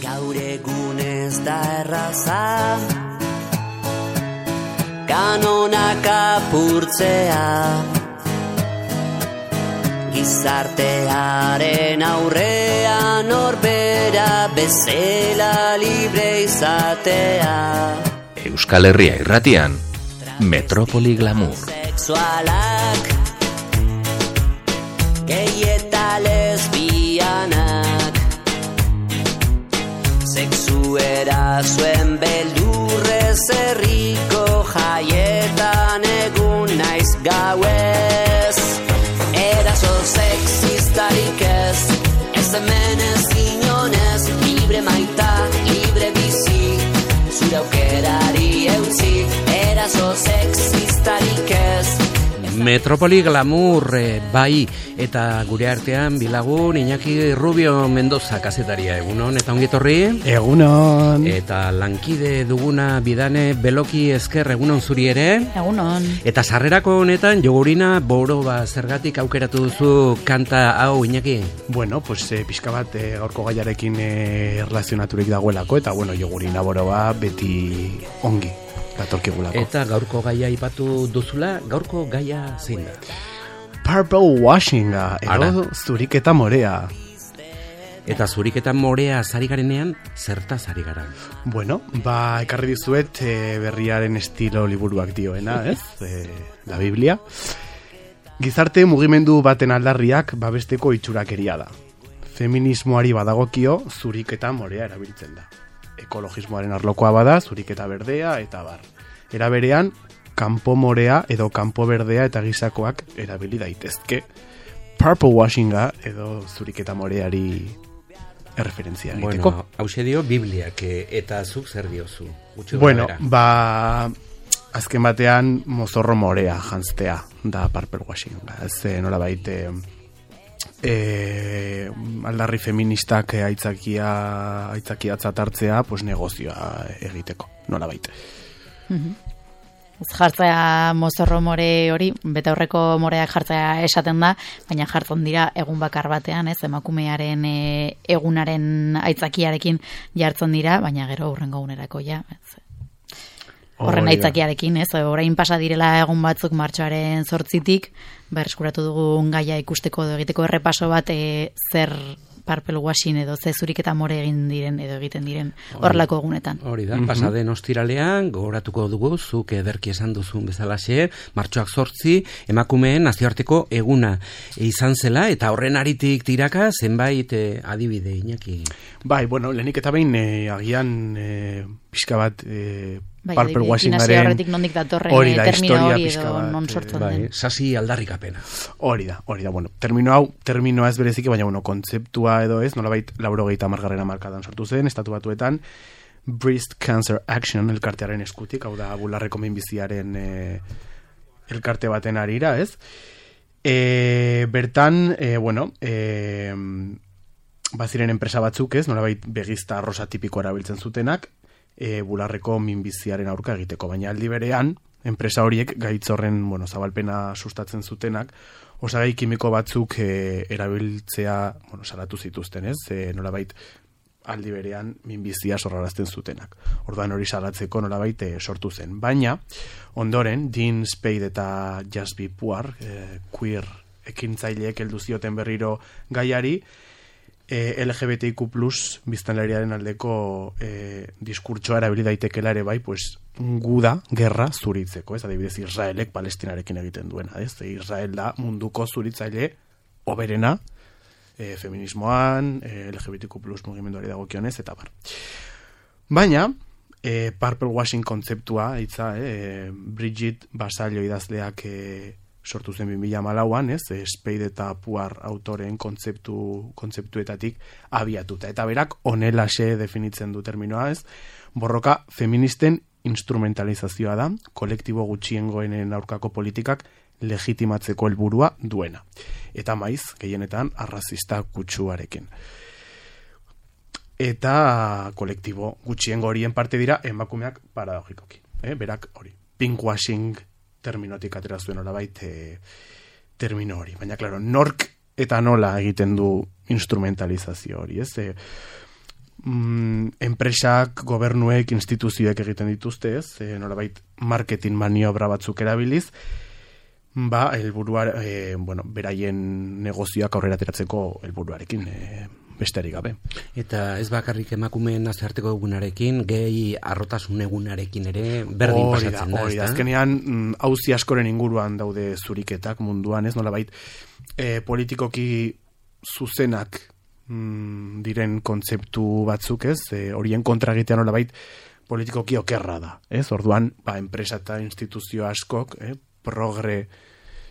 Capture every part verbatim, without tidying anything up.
Gaur egun ez da erraza kanonak apurtzea, gizartearen aurrean norbera bezala libre izatea. Euskal Herria irratian, Metropoli Glamour. Sexualak, gay eta lesbianak, sexu erasoen beldurrez herriko jaietan egun naiz gauez. Eraso sexistarik ez, ez hemen ez inonez, libre maita, libre bizi, zure aukerari eutzi, eraso sexistarik ez. Metropoli Glamour, eh, bai, eta gure artean bilagun Iñaki Rubio Mendoza kazetaria, egunon, eta ongetorri? Egunon. Eta lankide duguna Bidane Beloki Esker, egunon zuri ere? Egunon. Eta sarrerako honetan Jogurina Boroba zergatik aukeratu duzu kanta hau, Iñaki? Bueno, pues eh, pixka bat eh, gaurko gaiarekin eh, erlazionaturik dagoelako, eta bueno, Jogurina Boroba beti ongi datorkigulako. Eta gaurko gaia ipatu duzula, gaurko gaia zein da? Purple washinga, edo zuriketa morea. Eta zuriketa morea zari garenean, zertaz ari gara? Bueno, ba, ekarri dizuet e, berriaren estilo liburuak dioena, ez? E, la Biblia. Gizarte mugimendu baten aldarriak babesteko itxurakeria da. Feminismoari badagokio zuriketa morea erabiltzen da. Ekologismoaren arlokoa bada, zuriketa berdea eta bar. Era berean, kanpo morea edo kanpo berdea eta gizakoak erabili daitezke. Purple washinga edo zuriketa moreari erreferentzia egiteko. Bueno, hause dio Bibliak, eta zuk zer diozu? Bueno, ba, azken batean mozorro morea jantztea da purple washinga. Ez nola baite... E, aldarri feministak aitzakia aitzakiatzat hartzea, pues negozioa egiteko, nola baita. Ez jartzea mozorro more hori, betaurreko moreak jartzea esaten da, baina jartzen dira egun bakar batean, ez, emakumearen e, egunaren aitzakiarekin jartzen dira, baina gero hurrengo egunerako ja, ez. Horren aitzakiarekin, ez, orain pasa direla egun batzuk martxoaren zortzitik, bereskuratu dugun gaia ikusteko edo egiteko errepaso bat e, zer purple washing edo ze zuriketa more egin diren edo egiten diren horrelako egunetan. Hori da, pasaden ostiralean, gogoratuko dugu, zuk ederki esan duzun bezalaxe, martxoak zortzi, emakumeen nazioarteko eguna izan zela, eta horren aritik tiraka zenbait e, adibide, Iñaki. Bai, bueno, lehenik eta behin e, agian e, pixka bat... E, Bai, purple washingaren horretik nondik datorren hori da, termino historia hori pixka edo bat, non sortzen bai, den. Sasi aldarrikapena. Hori da, hori da, bueno, termino hau, terminoa ez bereziki, baina bueno, kontzeptua edo ez, nolabait laurogeita hamargarren hamarkadan sortu zen, estatu batuetan, Breast Cancer Action elkartearen eskutik, hau da, bularreko minbiziaren e, elkarte baten arira, ez? E, bertan, e, bueno, e, baziren enpresa batzuk, ez, nolabait begizta arrosa tipiko erabiltzen zutenak, E, bularreko minbiziaren aurka egiteko, baina aldi berean enpresa horiek gaitz horren bueno, zabalpena sustatzen zutenak osagai kimiko batzuk e, erabiltzea bueno, salatu zituzten, ez? E, nolabait aldi berean minbizia sorrarazten zutenak. Orduan hori salatzeko nolabait e, sortu zen. Baina ondoren Dean Spade eta Jasby Puar e, queer ekintzaileek heldu zioten berriro gaiari, E, L G B T I Q plus biztanleriaren aldeko e, diskurtsoa erabili daitekela ere bai, pues guda, gerra zuritzeko, ez? Adibidez Israelek Palestinarekin egiten duena, ez? Israel da munduko zuritzaile oberena e, feminismoan, e, L G B T I Q plus mugimenduari dagokionez eta bar. Baina e, purple washing kontzeptua hitza, e, Bridget Basallo idazleak e, sortu zen bi mila hamalauan, ez, Spade eta Puar autoren kontzeptu, kontzeptuetatik abiatuta. Eta berak honelaxe definitzen du terminoa, ez, borroka feministen instrumentalizazioa da, kolektibo gutxiengoenen aurkako politikak legitimatzeko helburua duena. Eta maiz, gehienetan, arrazista kutsuarekin. Eta kolektibo gutxiengo horien parte dira emakumeak paradogikoki. Eh? Berak hori, pinkwashing terminotik atera zuen horabait e, termino hori. Baina, klaro, nork eta nola egiten du instrumentalizazio hori, ez? E, mm, enpresak, gobernuek, instituzioek egiten dituzte, ez? E, nolabait marketing maniobra batzuk erabiliz, ba, helburua, e, bueno, beraien negozioak aurrera ateratzeko helburuarekin, e, besterik gabe. Eta ez bakarrik emakumeen nazioarteko egunarekin, gehi arrotasun egunarekin ere berdin Hori pasatzen da, hori da. Azkenean, mm, auzi askoren inguruan daude zuriketak munduan, ez nolabait, e, politikoki zuzenak mm, diren kontzeptu batzuk, ez? E, horien kontra egitea nolabait politikoki okerra da, ez? Orduan, ba, enpresa eta instituzio askok, eh, progre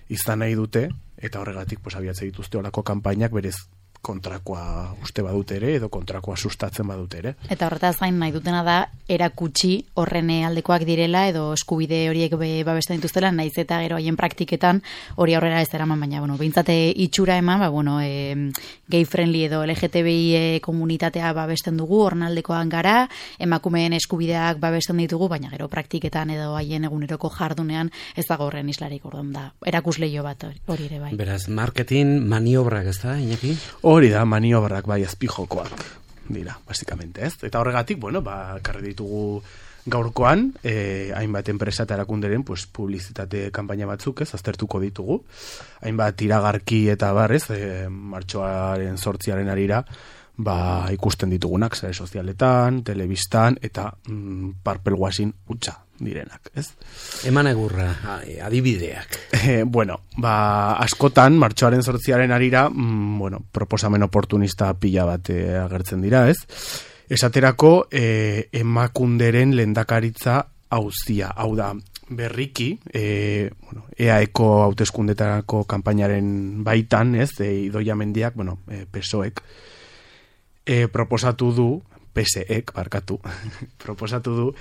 izan nahi dute, eta horregatik pues, abiatze dituzte olako kanpainak berez kontrakoa uste badute ere, edo kontrakoa sustatzen badute ere. Eta horretaz gain nahi dutena da, erakutsi horren aldekoak direla, edo eskubide horiek be, babesten dituztela, naiz eta gero haien praktiketan hori aurrera ez eraman, baina, bueno, behintzate itxura eman, ba, bueno, e, gay friendly edo L G T B I komunitatea babesten dugu, horren aldekoan gara, emakumeen eskubideak babesten ditugu, baina gero praktiketan edo haien eguneroko jardunean ez dago horren islarik, orduan da, erakusleio bat hori ere bai. Beraz, marketing maniobrak, ez da, Iñaki? Hori da, maniobrak bai azpijokoak dira, basikamente, ez? Eta horregatik, bueno, ba, karri ditugu gaurkoan, eh, hainbat enpresa eta erakunderen, pues, publizitate kanpaina batzuk, ez, aztertuko ditugu. Hainbat iragarki eta barrez, eh, martxoaren sortziaren arira, ba, ikusten ditugunak, sare sozialetan, telebistan, eta mm, parpel guasin utxa direnak, ez? Eman egurra, adibideak. Eh, bueno, ba, askotan, martxoaren sortziaren arira, mm, bueno, proposamen oportunista pila bat eh, agertzen dira, ez? Esaterako, eh, emakunderen lehendakaritza auzia, hau da, berriki, eh, bueno, E A Eko hauteskundetarako kanpainaren baitan, ez, e, Idoia Mendiak, bueno, eh, P S O Ek, eh, proposatu du, P S Ek, barkatu, proposatu du,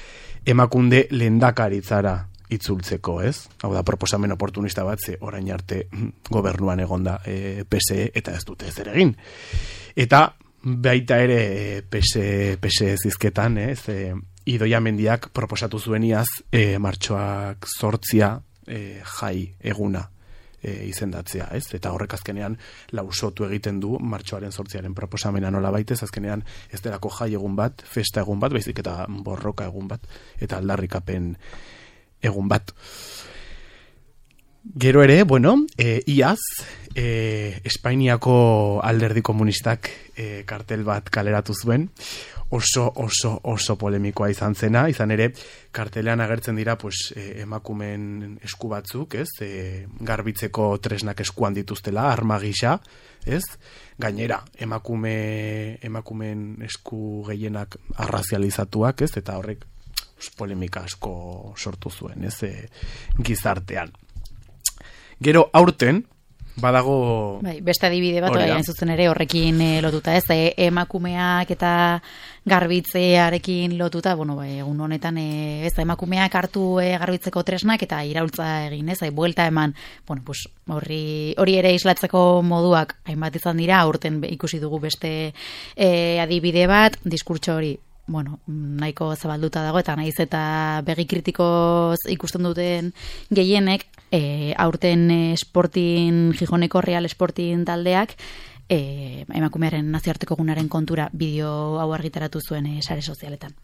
emakunde lehendakaritzara itzultzeko, ez? Hau da, proposamen oportunista bat, ze orain arte gobernuan egonda e, P S E eta ez dute ezer egin. Eta baita ere P S E zizketan, ez? E, Idoia Mendiak proposatu zueniaz e, martxoak sortzia e, jai eguna e, izendatzea, ez? Eta horrek azkenean lausotu egiten du martxoaren sortziaren proposamena nola baitez, azkenean ez delako jai egun bat, festa egun bat, baizik eta borroka egun bat, eta aldarrikapen egun bat. Gero ere, bueno, e, iaz, e, Espainiako alderdi komunistak e, kartel bat kaleratu zuen, oso, oso, oso polemikoa izan zena, izan ere, kartelean agertzen dira, pues, e, emakumen esku batzuk, ez, e, garbitzeko tresnak eskuan dituztela, arma gisa, ez, gainera, emakume, emakumen esku gehienak arrazializatuak, ez, eta horrek polemika asko sortu zuen, ez, e, gizartean. Gero aurten, badago... Bai, beste adibide bat, hain zuzen ere horrekin e, lotuta, ez, e, emakumeak eta garbitzearekin lotuta, bueno, bai, egun honetan, e, ez, emakumeak hartu e, garbitzeko tresnak eta iraultza egin, ez, e, buelta eman, bueno, pues, hori, hori ere islatzeko moduak, hainbat izan dira, aurten ikusi dugu beste e, adibide bat, diskurtso hori, bueno, nahiko zabalduta dago, eta naiz eta begi kritikoz ikusten duten gehienek, e, aurten Sporting, Gijoneko Real Sporting taldeak, e, emakumearen nazioarteko egunaren kontura bideo hau argitaratu zuen e, sare sozialetan.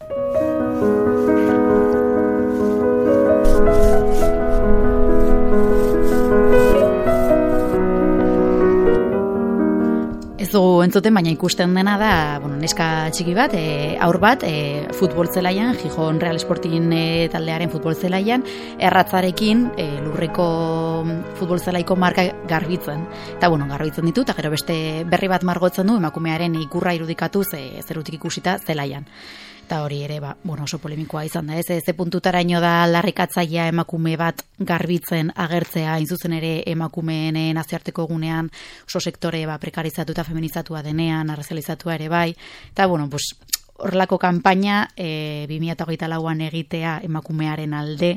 Ez dugu entzuten, baina ikusten dena da, bueno, neska txiki bat, e, aur bat, e, futbol zelaian, Gijon Real Sporting e, taldearen futbol zelaian, erratzarekin e, lurreko futbol zelaiko marka garbitzen. Eta, bueno, garbitzen ditu, eta gero beste berri bat margotzen du, emakumearen ikurra irudikatuz e, zerutik ikusita zelaian. Eta hori ere, ba, bueno, oso polemikoa izan da, ez, ez puntutaraino da larrikatzailea emakume bat garbitzen agertzea, inzuzen ere emakumeen nazioarteko egunean oso sektore ba, prekarizatu eta feminizatua denean, arrazializatua ere bai, eta bueno, pues, horrelako kanpaina e, bi mila hogeita lauan egitea emakumearen alde,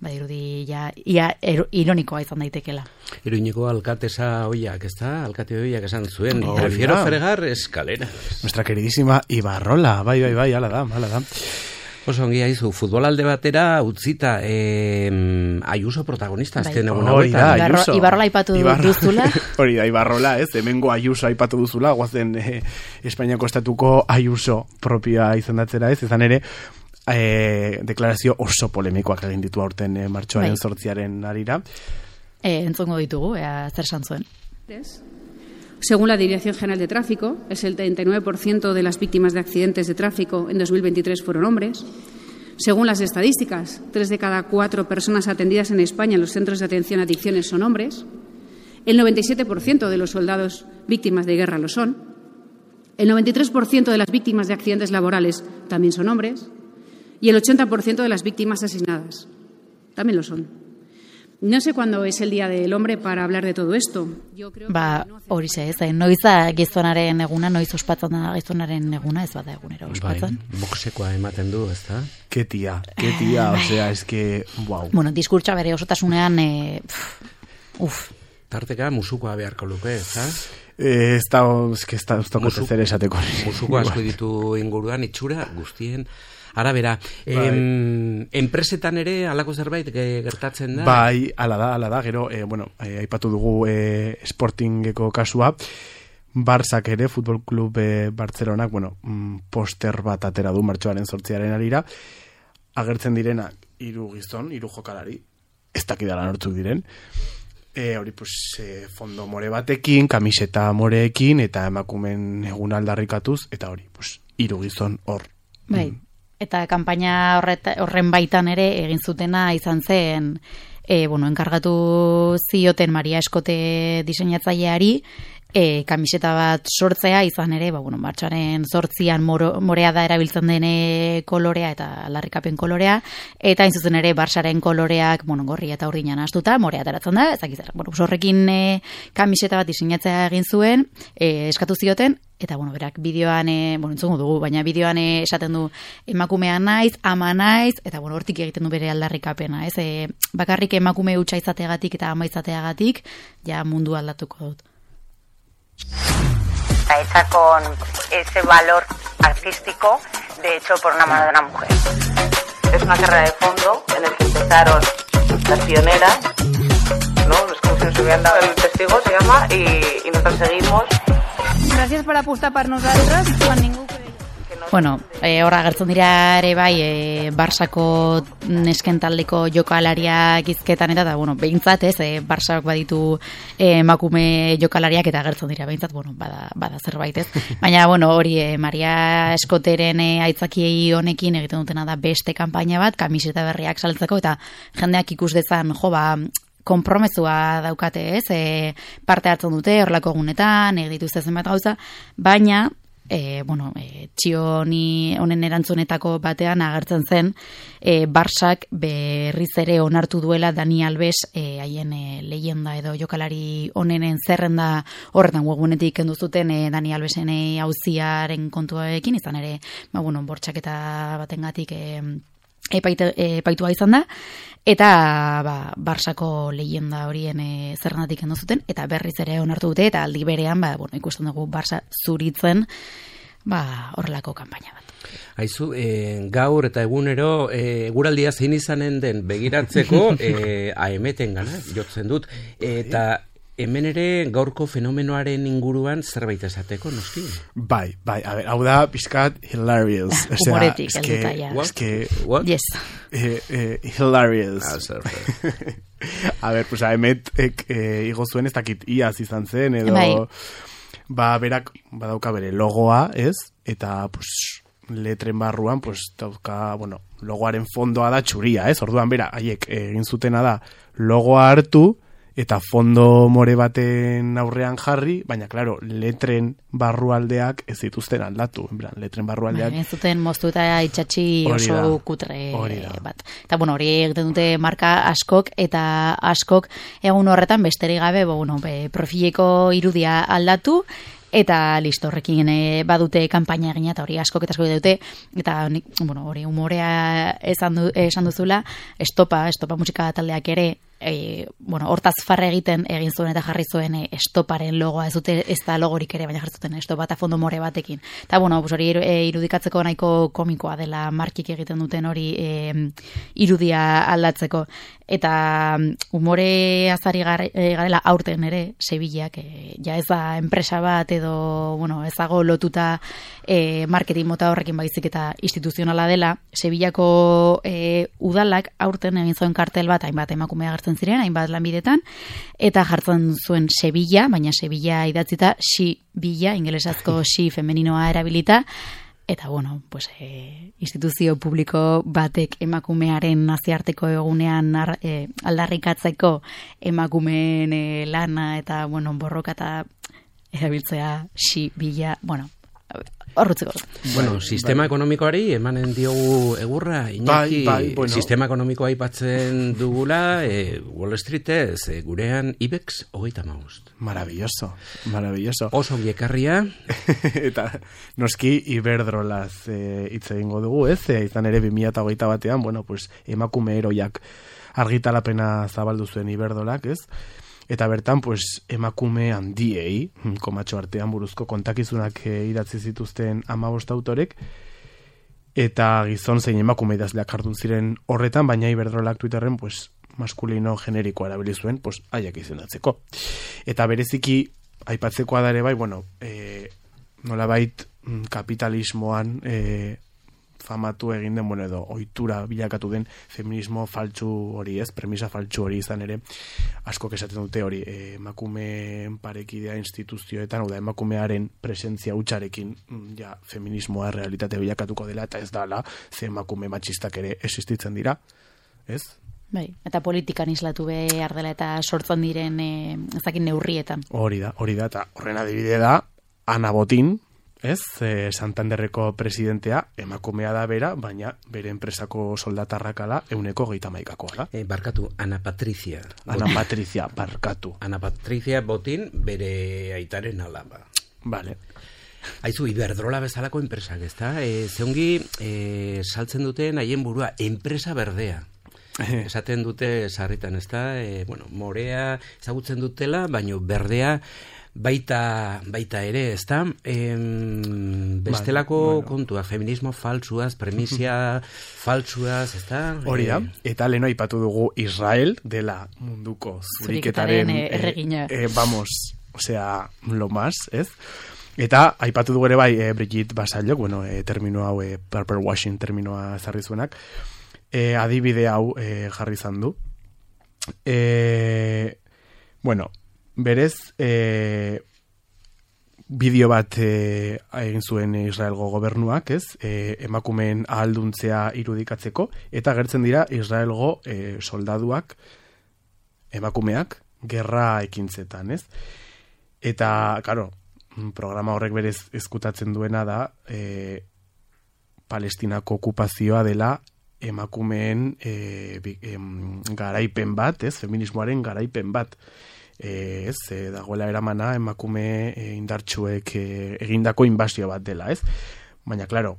badirudi ja, ia er, ironikoa izan daitekela. Iruñeko alkatesa hoiak, ez da? Alkate hoiak esan zuen, Oh, prefiero ya. fregar escaleras. Nuestra queridísima Ibarrola, bai, bai, bai, ala da, ala da. Oso ongi haizu, futbolalde batera utzita eh, Ayuso protagonista azken egun Hori da, hauetan. Ayuso. Ibarrola aipatu duzula. Hori da, Ibarrola, ez, hemengo Ayuso aipatu duzula, guazen eh, Espainiako estatuko Ayuso propioa izendatzera, ez, izan ere, eh, deklarazio oso polemikoak egin ditu aurten eh, martxoaren zortziaren arira. Eh, entzongo ditugu, ea zer esan zuen. Según la Dirección General de Tráfico, es el treinta y nueve por ciento de las víctimas de accidentes de tráfico en dos mil veintitrés fueron hombres. Según las estadísticas, tres de cada cuatro personas atendidas en España en los centros de atención a adicciones son hombres. El noventa y siete por ciento de los soldados víctimas de guerra lo son. El noventa y tres por ciento de las víctimas de accidentes laborales también son hombres. Y el ochenta por ciento de las víctimas asesinadas también lo son. No sé cuándo es el Día del Hombre para hablar de todo esto. Yo creo ba, hori ze, ez, noiz da gizonaren eguna, noiz ospatzen da gizonaren eguna, ez bada egunero ospatzen. Bai, boxekoa ematen du, ez da? Ke tia, ke tia, osea, es que, wow. Bueno, diskurtsa bere osotasunean, eh, pff, uf. Tarteka musukoa beharko luke, ez da? Eh, ez da, ez que ez da, ez da, zer esateko. Musuko asko ditu inguruan, itxura guztien arabera. Em, enpresetan ere halako zerbait gertatzen da? Bai, ala da, ala da, gero, eh, bueno, eh, aipatu dugu eh, Sportingeko kasua, Barzak ere, Futbol Klub eh, Bartzelonak, bueno, mm, poster bat atera du martxoaren zortziaren arira, agertzen direnak hiru gizon, hiru jokalari, ez dakidala nortzuk diren, e, hori, pues, e, fondo more batekin, kamiseta moreekin, eta emakumen egun aldarrikatuz, eta hori, pues, hiru gizon hor. Bai. Mm. Eta kanpaina horreta, horren baitan ere egin zutena izan zen, e, bueno, enkargatu zioten Maria Eskote diseinatzaileari, e, kamiseta bat sortzea izan ere, ba, bueno, martxoaren zortzian moro, morea da erabiltzen dene kolorea eta aldarrikapen kolorea, eta hain zuzen ere Barsaren koloreak, bueno, gorri eta urdinan astuta, morea ateratzen da, ezak izan. Bueno, horrekin e, kamiseta bat diseinatzea egin zuen, e, eskatu zioten, eta, bueno, berak, bideoan, e, bueno, entzungo dugu, baina bideoan e, esaten du emakumea naiz, ama naiz, eta, bueno, hortik egiten du bere aldarrikapena, ez? E, bakarrik emakume hutsa izateagatik eta ama izateagatik, ja mundu aldatuko dut. Está hecha con ese valor artístico, de hecho, por una mano de una mujer. Es una carrera de fondo en el que empezaron las pioneras, ¿no? Es como si nos hubieran dado el testigo, se llama, y, y nosotros seguimos. Gràcies per apostar per nosaltres quan ningú creia. Bueno, e, horra agertzen dira ere bai e, Barsako nesken taldeko jokalariak izketan eta, da, bueno, behintzat, ez, e, Barsak baditu e, emakume jokalariak eta agertzen dira, behintzat, bueno, bada, bada zerbait, ez. Baina, bueno, hori, e, Maria Eskoteren e, aitzakiei honekin egiten dutena da beste kanpaina bat, kamiseta berriak saltzeko, eta jendeak ikus dezan, jo, ba, konpromezua daukate, ez, e, parte hartzen dute, horrelako egunetan, egin dituzte zenbat gauza, baina, E, bueno, e, txioni honen erantzunetako batean agertzen zen e, Barsak berriz ere onartu duela Dani Alves e, haien e, leyenda edo jokalari honenen zerrenda horretan webgunetik kendu zuten e, Dani Alvesen e, auziaren kontuarekin, izan ere, ba, bueno, bortxaketa batengatik e, epaitua izan da, eta ba, Barsako leyenda horien e, zerrendatik kendu zuten, eta berriz ere onartu dute, eta aldi berean, ba, bueno, ikusten dugu Barsa zuritzen, ba, horrelako kanpaina bat. Aizu, e, gaur eta egunero e, eguraldia zein izanen den begiratzeko e, aemeten gana, jotzen dut, eta hemen ere gaurko fenomenoaren inguruan zerbait esateko, noski? Bai, bai, a ver, hau da pizkat hilarious. Humoretik, el detaia. Es que, what? Yes. Eh, eh, hilarious. Ah, zer, a ver, pues aemet eh, igo zuen ez dakit iaz izan zen, edo bai. Ba, berak badauka bere logoa, ez? Eta, pues, letren barruan, pues, dauka, bueno, logoaren fondoa da txuria, ez? Orduan, bera, haiek egin zutena da logoa hartu, eta fondo more baten aurrean jarri, baina, klaro, letren barrualdeak ez dituzten aldatu. En plan, letren barrualdeak... Ez zuten moztu eta itxatxi oso da, kutre bat. Eta, bueno, hori egiten dute marka askok, eta askok egun horretan besterik gabe, bo, bueno, be, profileko irudia aldatu, eta listo, horrekin e, badute kanpaina egina, eta hori askok eta asko dute, eta bueno, hori humorea esan, du, esan duzula, estopa, estopa musika taldeak ere, e, bueno, hortaz farre egiten egin zuen eta jarri zuen e, estoparen logoa, ez dute ez da logorik ere, baina jarri zuten estopa eta fondo more batekin. Eta, bueno, pues hori e, irudikatzeko nahiko komikoa dela markik egiten duten hori e, irudia aldatzeko. Eta umore azari garela aurten ere, Sevillak, e, ja ez da enpresa bat edo, bueno, ezago lotuta e, marketing mota horrekin baizik eta instituzionala dela, Sevillako e, udalak aurten egin zuen kartel bat, hainbat emakume agertzen ziren, hainbat lanbidetan, eta jartzen zuen Sevilla, baina Sevilla idatzita Sibilla, ingelesazko si femeninoa erabilita, eta, bueno, pues, e, instituzio publiko batek emakumearen nazioarteko egunean ar, e, aldarrikatzeko emakumeen e, lana eta, bueno, borroka eta erabiltzea Sibilla, bueno, horrutzeko. Bueno, sistema ekonomikoari emanen diogu egurra, Iñaki, bai, bai, bueno. Sistema ekonomikoa aipatzen dugula, e, Wall Streetez, e, gurean IBEX hogeita hamabost. Maravilloso, maravilloso. Oso ekarria. Eta noski Iberdrolaz hitz e, egingo dugu, ez? E, izan ere bi mila hogeita batean, bueno, pues, emakume heroiak argitalapena zabaldu zuen Iberdrolak, ez? Eta bertan, pues, emakume handiei, komatxo artean buruzko kontakizunak e, idatzi zituzten hamabost autorek, eta gizon zein emakume idazleak jardun ziren horretan, baina Iberdrolak Twitterren, pues, maskulino generikoa erabili zuen, pues, haiek izendatzeko. Eta bereziki, aipatzekoa da ere bai, bueno, e, nolabait kapitalismoan e, famatu egin den, bueno, edo ohitura bilakatu den feminismo faltsu hori, ez, premisa faltsu hori izan ere, asko esaten dute hori, e, emakumeen parekidea instituzioetan, oda emakumearen presentzia hutsarekin, ja, feminismoa realitate bilakatuko dela, eta ez dala, ze emakume matxistak ere existitzen dira, ez? Bai, eta politikan islatu behar dela eta sortzen diren e, ezakin neurrietan. Hori da, hori da, eta horren adibide da, Ana Botín, ez, e, Santanderreko presidentea, emakumea da bera, baina bere enpresako soldatarrakala euneko geita maikakoa da. E, barkatu, Ana Patricia. Ana Patricia, barkatu. Ana Patricia Botín, bere aitaren alaba. Vale. Aizu, Iberdrola bezalako enpresak, ez da? E, zeongi, e, saltzen duten haien burua, enpresa berdea. Esaten dute sarritan, ez da? E, bueno, morea ezagutzen dutela, baino berdea baita, baita ere, ez da? E, bestelako ba, bueno. kontua, feminismo faltsuaz, premisia faltsuaz, ez da? Hori da, eta leno aipatu dugu Israel dela munduko zuriketaren erregina. E, e, vamos, osea, lo más, ez? Eta aipatu dugu ere bai e, Brigitte Bassaillok, bueno, e, termino hau, e, purple washing terminoa ezarri zuenak, E, adibide hau e, jarri izan du. E, bueno, berez e, bideo bat e, egin zuen Israelgo gobernuak, ez? E, emakumeen ahalduntzea irudikatzeko, eta agertzen dira Israelgo e, soldaduak, emakumeak, gerra ekintzetan, ez? Eta, karo, programa horrek berez ezkutatzen duena da e, Palestinako okupazioa dela emakumeen e, em, garaipen bat, ez, feminismoaren garaipen bat, e, ez, e, dagoela eramana emakume e, indartsuek e, egindako inbasio bat dela, ez, baina, klaro,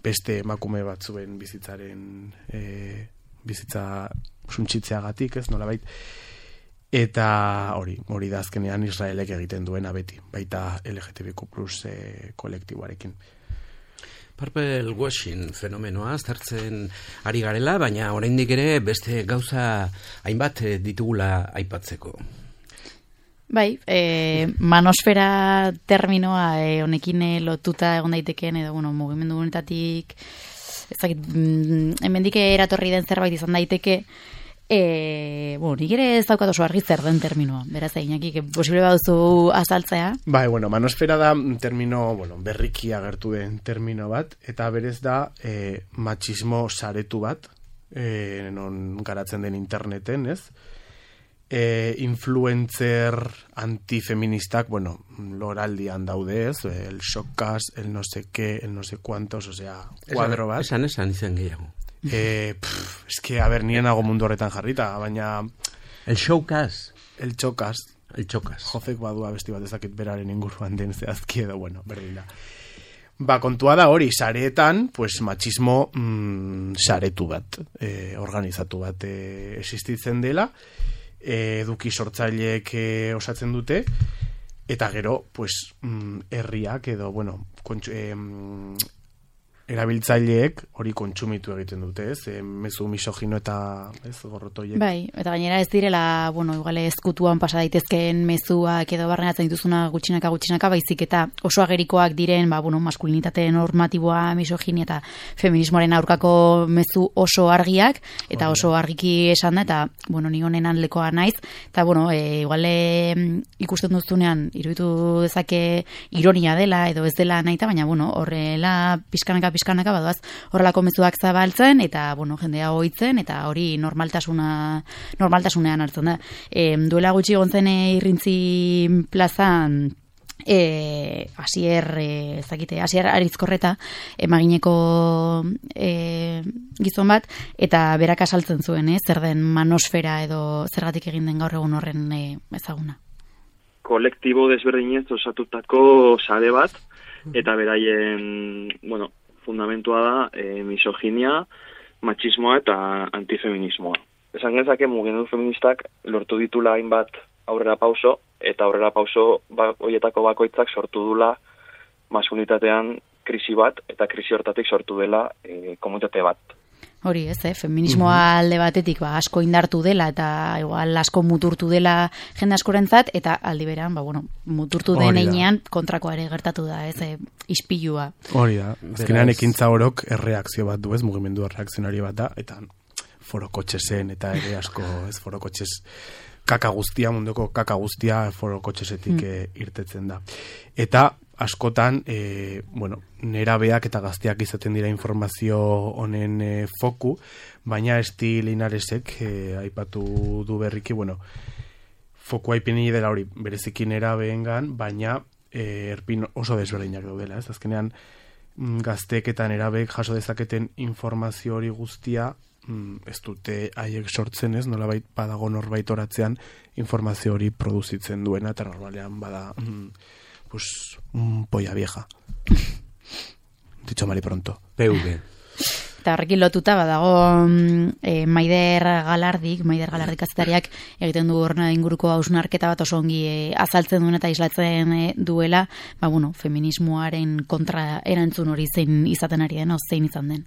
beste emakume batzuen bizitzaren e, bizitza suntsitzeagatik, ez, nolabait, eta hori, hori da azkenean Israelek egiten duena beti, baita L G T B Q plus e, kolektiboarekin. Purple washing fenomenoa aztertzen ari garela, baina oraindik ere beste gauza hainbat ditugula aipatzeko. Bai, e, manosfera terminoa e, honekin lotuta egon daitekeen, edo, bueno, mugimendu honetatik, ezakit, hemendik eratorri den zerbait izan daiteke, E, bueno, nik ere ez daukat oso argi zer den terminoa, beraz Iñaki, que posible baduzu azaltzea. Bai, bueno, manosfera da termino, bueno, berriki agertu den termino bat, eta berez da e, matxismo saretu bat, e, non garatzen den interneten, ez? E, influencer antifeministak, bueno, loraldian daude, ez? El showcast, el no sé qué, el no sé cuántos, o sea, cuadro bat. Esan, esan, izan gehiago. Eh, pff, es que, a ver, nien nago mundu horretan jarrita, baina... El showcast. El showcast. El showcast. Jofek badua besti bat ezakit beraren inguruan den zehazki edo, bueno, berdin da. Ba, kontua da hori, sareetan, pues, machismo mm, saretu bat, eh, organizatu bat eh, existitzen dela, e, eduki sortzaileek e, osatzen dute, eta gero, pues, mm, herriak edo, bueno, kontsu, e, erabiltzaileek hori kontsumitu egiten dute, ez? E, mezu misogino eta, ez, gorrotoiek. Bai, eta gainera ez direla, bueno, igual ezkutuan pasa daitezkeen mezuak edo barrenatzen dituzuna gutxinaka gutxinaka, baizik eta oso agerikoak diren, ba, bueno, maskulinitate normatiboa, misoginia eta feminismoaren aurkako mezu oso argiak, eta oso argiki esan da, eta, bueno, ni honen handlekoa naiz, eta, bueno, e, igual e, ikusten duzunean, iruditu dezake ironia dela, edo ez dela naita, baina, bueno, horrela pizkanaka pizkanaka badoaz horrelako mezuak zabaltzen eta bueno, jendea ohitzen eta hori normaltasuna normaltasunean hartzen da. E, duela gutxi egon zen Irrintzi plazan eh Asier eh ezakite Asier Arizkorreta emagineko eh gizon bat eta berak asaltzen zuen, eh, zer den manosfera edo zergatik egin den gaur egun horren eh, ezaguna. Kolektibo desberdinez osatutako sare bat eta beraien, bueno, fundamentua da e, misoginia, machismoa eta antifeminismoa. Esan genezake mugimendu feministak lortu ditula hainbat aurrera pauso, eta aurrera pauso ba, horietako bakoitzak sortu dula maskulinitatean krisi bat, eta krisi hortatik sortu dela e, komunitate bat. Hori ez, eh? Feminismoa alde batetik ba, asko indartu dela eta igual asko muturtu dela jende askorentzat eta aldi berean, ba, bueno, muturtu den heinean kontrakoa ere gertatu da, ez, eh, ispilua. Hori da, azkenean ekintza orok erreakzio bat du, ez, mugimendu erreakzionari bat da, eta forokotxesen eta ere asko, ez, forokotxes kaka guztia, munduko kaka guztia forokotxesetik mm. e, irtetzen da. Eta askotan, e, bueno, nerabeak eta gazteak izaten dira informazio honen e, foku, baina Esti Linaresek e, aipatu du berriki, bueno, foku aipini dela hori bereziki nerabeengan, baina e, erpin oso desberdinak daudela, ez? Azkenean gazteek eta nerabeek jaso dezaketen informazio hori guztia ez dute haiek sortzen, ez? Nolabait badago norbait oratzean informazio hori produzitzen duena, eta normalean bada pues un polla vieja. Dicho mal y pronto. P V. Eta horrekin lotuta badago e, Maider Galardik, Maider Galardik kazetariak egiten du horna inguruko hausnarketa bat oso ongi e, azaltzen duen eta islatzen e, duela, ba bueno, feminismoaren kontra erantzun hori zein izaten ari den, o zein izan den.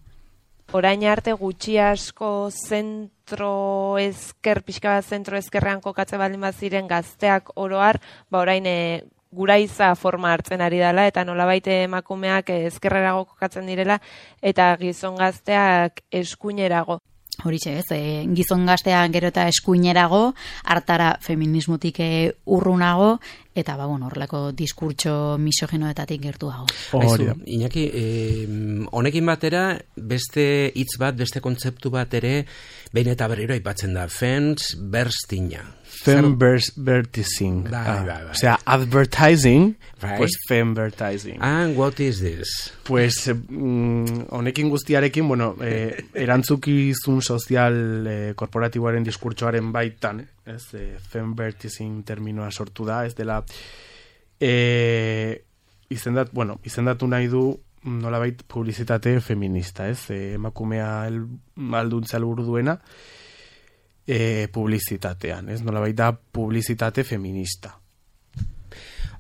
Orain arte gutxi asko zentro ezker, pixka bat zentro ezkerrean kokatze baldin bat ziren gazteak oroar, ba orain e, guraiza forma hartzen ari dela, eta nolabait emakumeak ezkerrerago kokatzen direla, eta gizon gazteak eskuinerago. Horixe ez, e, gizon gazteak gero eta eskuinerago, hartara feminismotik e, urrunago, eta ba, bueno, horrelako diskurtso misogenoetatik gertuago. Aizu, Iñaki, eh, honekin batera, beste hitz bat, beste kontzeptu bat ere, behin eta berriro aipatzen da, femsburstinga. Fembursting. Bai, bai, bai. O sea, advertising, right. Pues fembursting. And what is this? Pues, mm, honekin guztiarekin, bueno, eh, erantzukizun sozial eh, korporatiboaren diskurtsoaren baitan, ez, eh, fembursting terminoa sortu da, ez dela, eh, izendat, bueno, izendatu nahi du nolabait publizitate feminista, ez, eh, emakumea el, alduntza helburu duena, E, publizitatean, ez? Nolabait da publizitate feminista.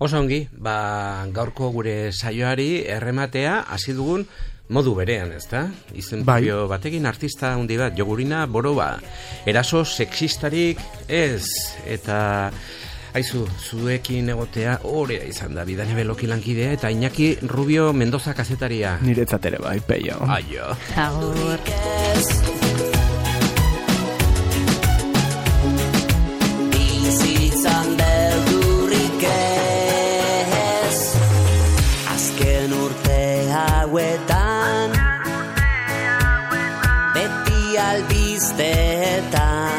Oso ongi, ba, gaurko gure saioari errematea hasi dugun modu berean, ezta? Izen bai. Batekin artista handi bat, Jogurina Boroba, eraso sexistarik ez, eta aizu, zuekin egotea horea izan da, Bidane Beloki lankidea, eta Iñaki Rubio Mendoza kazetaria. Niretzat ere bai, peio. Aio. Agur. Hauetan beti albisteetan